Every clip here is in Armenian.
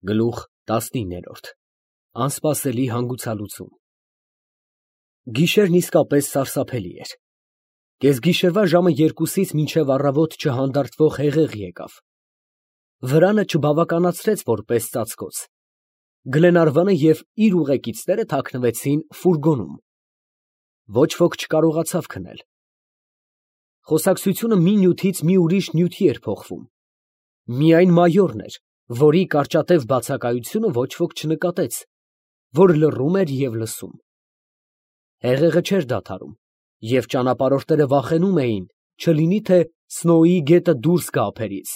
Գլուխ 19 Անսպասելի հանգուցալուծում Գիշերն իսկապես սարսափելի էր։ Կեսգիշերվա ժամը 2-ից մինչև առավոտ չհանդարտվող հեղեղ եկավ։ Վրանը չբավականացրեց որպես ծածկոց։ Գլենարվանը և իր ուղեկիցները թաքնվեցին ֆուրգոնում։ Ոչ ոք չկարողացավ քնել։ Խոսակցությունը մի նյութից մի ուրիշ նյութի էր փոխվում։ Միայն մայորն էր, որի կարճատև բացակայությունը ոչ ոք չնկատեց, որ լռում էր և լսում։ Հեղեղը չէր դադարում, և ճանապարհորդները վախենում էին, չլինի թե Սնոուի գետը դուրս գա ափերից։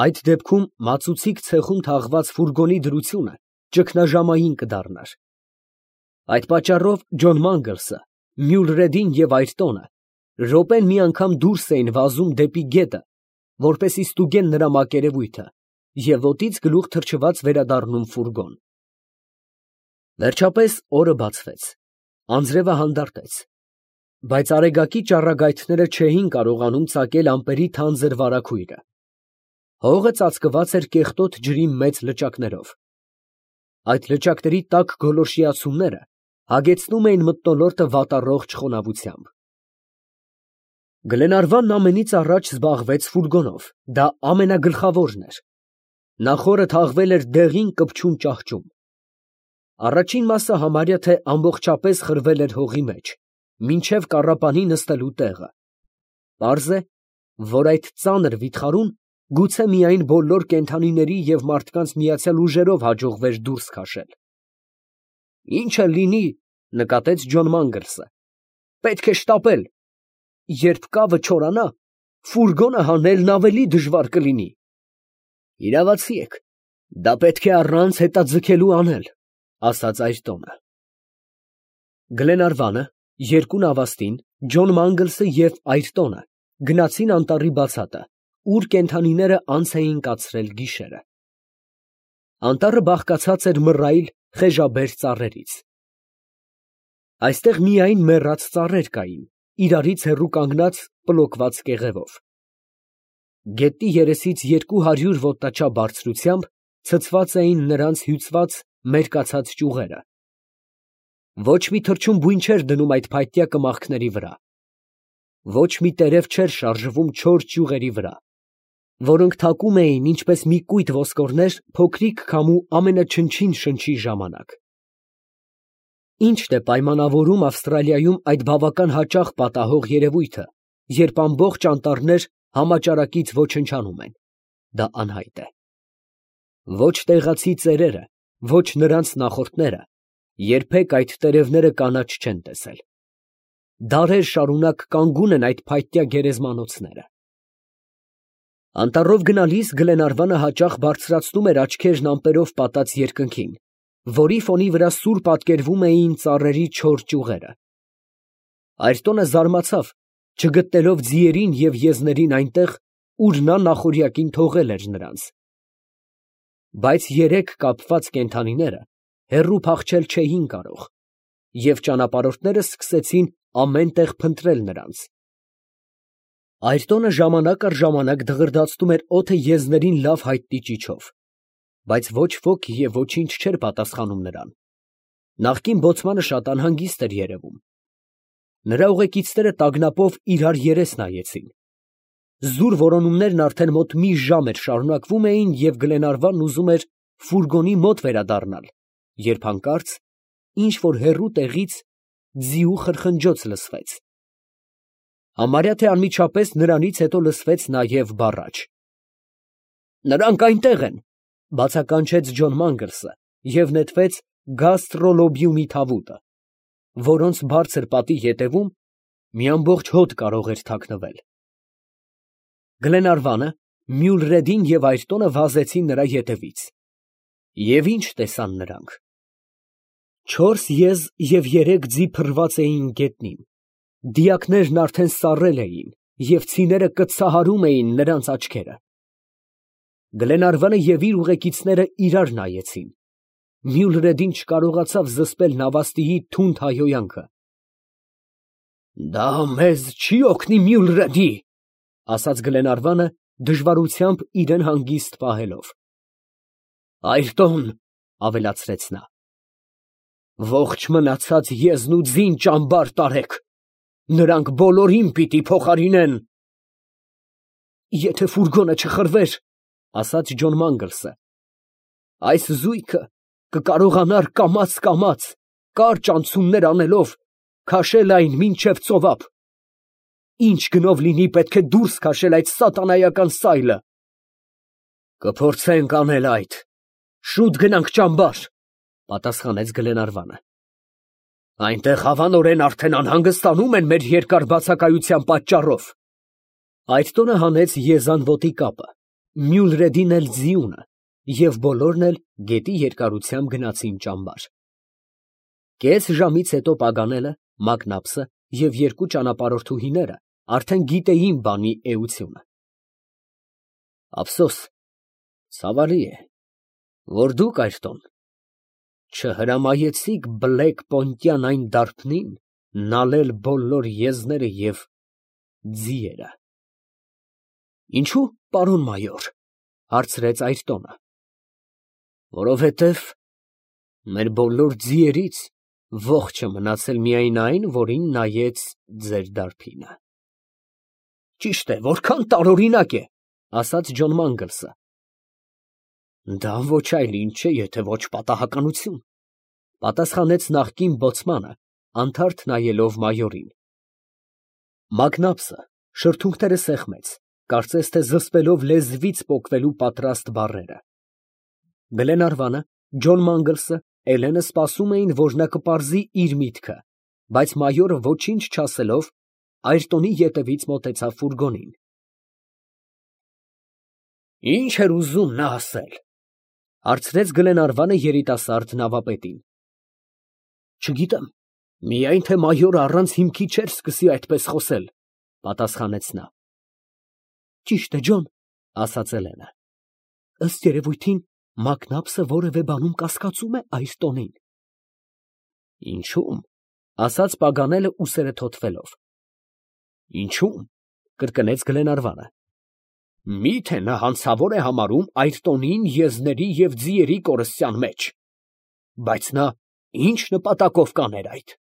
Այդ դեպքում մածուցիկ ցեխում թաղված ֆուրգոնի դրությունը ճգնաժամային կդառնար։ Այդ պատճառով Ջոն Մանգլսը, Մյուլրեդին և Այրտոնը րոպեն մի անգամ դուրս էին վազում դեպի գետը, որպեսզի ստուգեն նրա մակերևույթը և ոտից գլուխ թռչված վերադառնում ֆուրգոն։ Վերջապես օրը բացվեց, անձրևը հանդարտեց, բայց արեգակի ճառագայթները չէին կարողանում ծակել ամպերի թանձր վարագույրը։ Հողը ծածկված էր կեղտոտ ջրի մեծ լճակներով։ Այդ լճակների տաք գոլորշիացումները հագեցնում էին մթնոլորտը վատառողջ խոնավությամբ։ Գլենարվանն ամենից առաջ զբաղվեց ֆուրգոնով, դա ամենագլխավորն էր։ Նա խորը թաղվել էր դեղին կպչուն ճահճում։ Առաջին մասը համարյա թե ամբողջապես խրվել էր հողի մեջ, մինչև կառապանի նստելու տեղը։ Պարզ է, որ այդ ծանր վիթխարում գուցե միայն բոլոր կենդանիների և մարդկանց միացյալ ուժերով հաջողվեր դուրս քաշել։ «Ինչ էլ լինի, ֊ նկատեց Ջոն Մանգլսը, ֊ պետք է շտապել. երբ կավը չորանա, ֆուրգոնը հանելն ավելի դժվար կլինի»։ «Իրավացի եք, դա պետք է առանց հետաձգելու անել, ֊ ասաց Այրտոնը։ Գլենարվանը, երկու նավաստին, Ջոն Մանգլսը և Այրտոնը գնացին անտառի բացատը, ուր կենդանիները անց էին կացրել գիշերը։ Անտառը բաղկացած էր մռայլ, խեժաբեր ծառերից։ Այստեղ միայն մեռած ծառեր կային, իրարից հեռու կանգնած պլոկված կեղևով։ Գետնի երեսից 200 ոտնաչափ բարձրությամբ ցցված էին նրանց հյուծված մերկացած ճյուղերը։ Ոչ մի թռչուն չէր դնում այդ փայտյա կմախքների վրա։ Ոչ մի տերև չէր շարժվում չոր ճյուղերի վրա, որոնք թակում էին ինչպես մի կույտ ոսկորներ փոքրիկ քամու ամենաչնչին շնչի ժամանակ։ Ի՞նչն է պայմանավորում Ավստրալիայում այդ բավական հաճախ պատահող երևույթը, երբ ամբողջ անտառներ համաճարակից ոչնչանում են, դա անհայտ է։ Ոչ տեղացի ծերերը, ոչ նրանց նախորդները երբեք այդ տերևները կանաչ չեն տեսել։ Դարեր շարունակ կանգուն են այդ փայտյա գերեզմանոցները։ Անտառով գնալիս Գլենարվանը հաճախ բարձրացնում էր աչքերն ամպերով պատած երկնքին, որի ֆոնի վրա սուր պատկերվում էին ծառերի չոր ճյուղերը։ Այրտոնը զարմացավ, չգտնելով ձիերին և եզներին այնտեղ, ուր նա նախօրյակին թողել էր նրանց։ Բայց երեք կապված կենդանիները հեռու փախչել չէին կարող, և ճանապարհորդները սկսեցին ամեն տեղ փնտրել նրանց։ Այրտոնը ժամանակ առ ժամանակ դղրդացնում էր օդը եզներին լավ հայտնի ճիչով, բայց ոչ ոք և ոչինչ չէր պատասխանում նրան։ Նախկին բոցմանը շատ անհանգիստ էր երևում։ Նրա ուղեկիցները տագնապով իրար երես նայեցին։ Զուր որոնումներն արդեն մոտ մի ժամ էր շարունակվում էին, և Գլենարվանն ուզում էր ֆուրգոնի մոտ վերադառնալ, երբ հանկարծ ինչ֊որ հեռու տեղից ձիու խրխնջոց լսվեց։ Համարյա թե անմիջապես նրանից հետո լսվեց նաև բառաչ։ «Նրանք այնտեղ են, ֊ բացականչեց Ջոն Մանգլսը և նետվեց գաստրոլոբիումի թավուտը, որոնց բարձր պատի ետևում մի ամբողջ հոտ կարող էր թաքնվել»։ Գլենարվանը, Մյուլրեդին և Այրտոնը վազեցին նրա ետևից։ Եվ ի՞նչ տեսան նրանք։ 4 եզ և 3 ձի փռված էին գետնին, դիակներն արդեն սառել էին և ցիները կծահարում էին նրանց աչքերը։ Գլենարվանը և իր ուղեկիցները իրար նայեցին։ Մյուլրեդին չկարողացավ զսպել նավաստիի թունդ հայհոյանքը։ «Դա մեզ չի օգնի, Մյուլրեդի, ֊ ասաց Գլենարվանը, դժվարությամբ իրան հանգիստ պահելով։ Այրտոն, ավելացրեց նա, ողջ մնացած եզն ու ձին ճամբար տարեք, նրանք բոլորին պիտի փոխարինեն։ Եթե ֆուրգոնը չխրվեր, ասաց Ջոն Մանգլսը, այս զույգը կկարողանար կամաց կարճ անցումներ անելով քաշել այն մինչև ծովափ։ Ինչ գնով լինի պետք է դուրս քաշել այդ սատանայական սայլը։ Կփորձենք անել այդ, շուտ գնանք ճամբար, պատասխանեց Գլենարվանը։ Այնտեղ հավանորեն արդեն անհանգստանում են մեր երկար բացակայության պատճառով։ Այդ տոնը հանեց Եզանվոտի կապը, Մյուլրեդին էլ ձիունը, և բոլորն էլ գետի երկարությամբ գնացին ճամբար։ Կես ժամից հետո Պագանելը, Մակնապսը և երկու ճանապարհորդուհիները արդեն գիտեին բանի էությունը։ Ափսոս, ցավալի է, որ դուք, Այրտոն, չհրամայեցիք բլեկ պոնտյան այն դարբնին նալել բոլոր եզները և ձիերը։ Ինչո՞ւ, պարոն մայոր, հարցրեց Այրտոնը։ Որովհետև մեր բոլոր ձիերից ողջ է մնացել միայն այն, որին նայեց ձեր դարբինը։ Ճիշտ է, որքան տարօրինակ է, ասաց Ջոն Մանգլսը։ Դա ոչ այլ ինչ է, եթե ոչ պատահականություն, պատասխանեց նախկին բոցմանը, անթարթ նայելով մայորին։ Մակնապսը շրթունքները սեղմեց, կարծես թե զսպելով լեզվից պոկվելու պատրաստ բառերը։ Գլենարվանը, Ջոն Մանգլսը, Էլենը սպասում էին, որ նա կպարզի իր միտքը, բայց մայորը ոչինչ չասելով, Այրտոնի ետևից մոտեցավ ֆուրգոնին։ Ինչ էր ուզում նա ասել, հարցրեց Գլենարվանը երիտասարդ նավապետին։ Չգիտեմ, միայն թե մայորը առանց հիմքի չէր սկսի այդպես խոսել, պատասխանեց նա։ Ճիշտ է, Ջոն, ասաց Էլենը։ Ըստ երևույթին Մակնապսը որևէ բանում կասկածում է Այրտոնին։ Ինչո՞ւմ, ասաց Պագանելը ուսերը թոթվելով։ Ինչո՞ւմ, կրկնեց Գլենարվանը։ Մի՞թե նա հանցավոր է համարում Այրտոնին եզների և ձիերի կորստյան մեջ։ Բայց նա ինչ նպատակով կաներ այդ։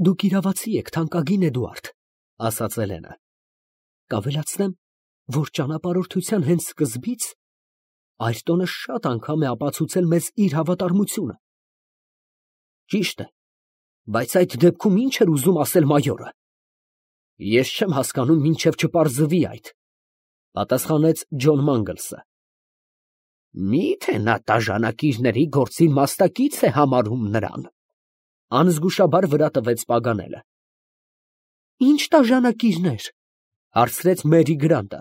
Դուք իրավացի եք, թանկագին Էդուարդ, ասաց Էլենը։ Կավելացնեմ, որ ճանապարհորդության հենց սկզբից Այրտոնը շատ անգամ է ապացուցել մեզ իր հավատարմությունը։ Ճիշտ է, բայց այդ դեպքում ինչ էր ուզում ասել մայորը։ Ես չեմ հասկանում, մինչև չպարզվի այդ, պատասխանեց Ջոն Մանգլսը։ Մի՞թե նա տաժանակիրների գործին մասնակից է համարում նրան, անզգուշաբար վրա տվեց Պագանելը։ Ինչ տաժանակիրներ, հարցրեց Մերի Գրանտը։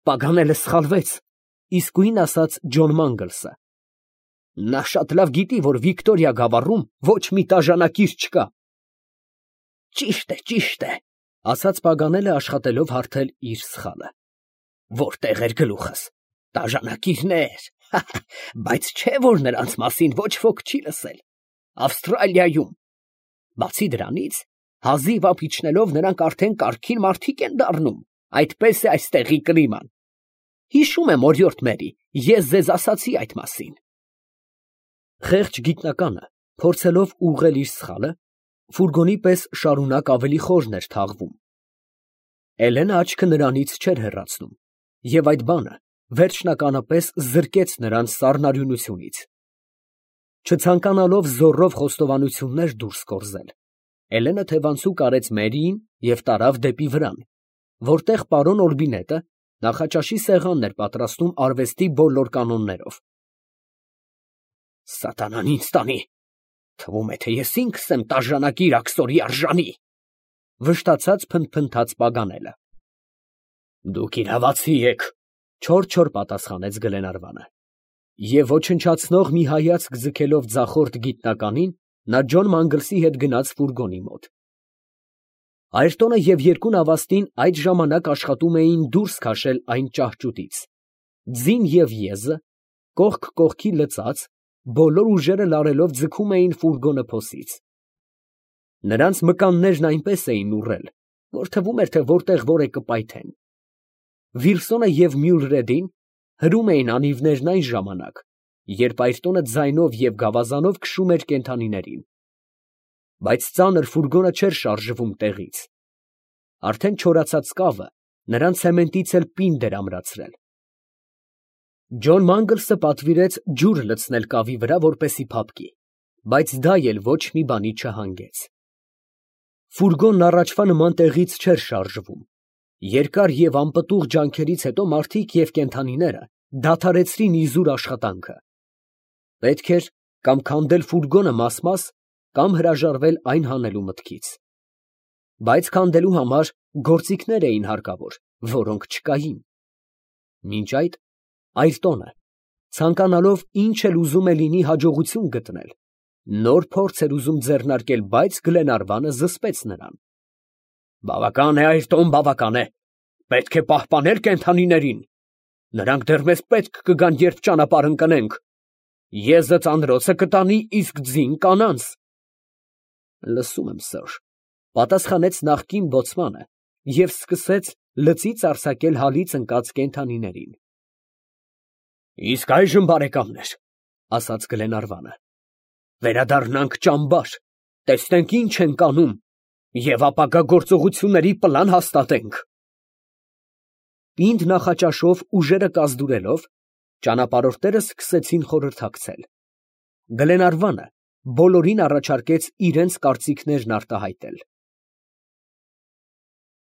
Պագանելը սխալվեց, իսկույն ասաց Ջոն Մանգլսը։ Նա շատ լավ գիտի, որ Վիկտորիա գավառում ոչ մի տաժանակիր չկա։ Ճիշտ է, ասաց Պագանելը աշխատելով հարթել իր սխալը։ Որտեղ էր գլուխս, տաժանակիրներ, բայց չէ, որ նրանց մասին ոչ ոք չի լսել, Ավստրալիայում։ Բացի դրանից, հազիվ ափ իջնելով նրանք արդեն կարգին մարդիկ են դառնում, այդպես է այստեղի կլիման։ Հիշում եմ, օրիորդ Մերի, ես ձեզ ասացի այդ մասին։ Խեղճ գիտնականը, փորձելով ուղղել իր սխալը, ֆուրգոնի պես շարունակ ավելի խորն էր թաղվում։ Էլենը աչքը նրանից չէր հեռացնում, և այդ բանը վերջնականապես զրկեց նրան սառնարյունությունից։ Չցանկանալով զոռով խոստովանություններ դուրս կորզել, Էլենը թևանցուկ արեց Մերիին և տարավ դեպի վրան, որտեղ պարոն Օրբինետը նախաճաշի սեղանն էր պատրաստում արվեստի բոլոր կանոններով։ Սատանան ինձ տանի, թվում է, թե ես ինքս եմ տաժանակիր աքսորի արժանի, վշտացած փնթփնթաց Պագանելը։ Դուք իրավացի եք, չոր պատասխանեց Գլենարվանը։ Եվ ոչնչացնող մի հայացք ձգելով ձախորդ գիտնականին, նա Ջոն Մանգլսի հետ գնաց ֆուրգոնի մոտ։ Այրտոնը և երկու նավաստին այդ ժամանակ աշխատում էին դուրս քաշել այն ճահճուտից։ Ձին և եզը, կողք կողքի լծած, բոլոր ուժերը լարելով ձգում էին ֆուրգոնը փոսից։ Նրանց մկաններն այնպես էին ուռել, որ թվում էր, թե որտեղ որ է կպայթեն։ Վիլսոնը և Մյուլրեդին Հրում էին անիվներն այն ժամանակ, երբ Այրտոնը ձայնով և գավազանով քշում էր կենդանիներին, բայց ծանր ֆուրգոնը չէր շարժվում տեղից. արդեն չորացած կավը նրան ցեմենտից էլ պինդ էր ամրացրել։ Ջոն Մանգլսը պատվիրեց ջուր լցնել կավի վրա, որպեսզի փափկի, բայց դա էլ ոչ մի բանի չհանգեց։ Ֆուրգոնն առաջվա նման տեղից չէր շարժվում։ Երկար և անպտուղ ջանքերից հետո մարդիկ և կենդանիները դադարեցրին իզուր աշխատանքը։ Պետք էր կամ քանդել ֆուրգոնը մաս-մաս, կամ հրաժարվել այն հանելու մտքից։ Բայց քանդելու համար գործիքներ էին հարկավոր, որոնք չկային։ Մինչ այդ Այրտոնը, ցանկանալով ինչ էլ ուզում է լինի հաջողություն գտնել, նոր փորձ էր ուզում ձեռնարկել, բայց Գլենարվանը զսպեց նրան։ «Բավական է, Այրտոն, բավական է. պետք է պահպանել կենդանիներին. նրանք դեռ մեզ պետք կգան, երբ ճանապարհ ընկնենք. եզը ծանրոցը կտանի, իսկ ձին կանանց»։ Լսում եմ, սըր, ֊ պատասխանեց նախկին բոցմանը և սկսեց լծից արձակել հալից ընկած կենդանիներին։ «Իսկ այժմ, բարեկամներ, ֊ ասաց Գլենարվանը, ֊ վերադառնանք ճամբար, տեսնենք ինչ ենք անում և ապագա գործողությունների պլան հաստատենք»։ Պինդ նախաճաշով ուժերը կազդուրելով, ճանապարհորդները սկսեցին խորհրդակցել։ Գլենարվանը բոլորին առաջարկեց իրենց կարծիքներն արտահայտել։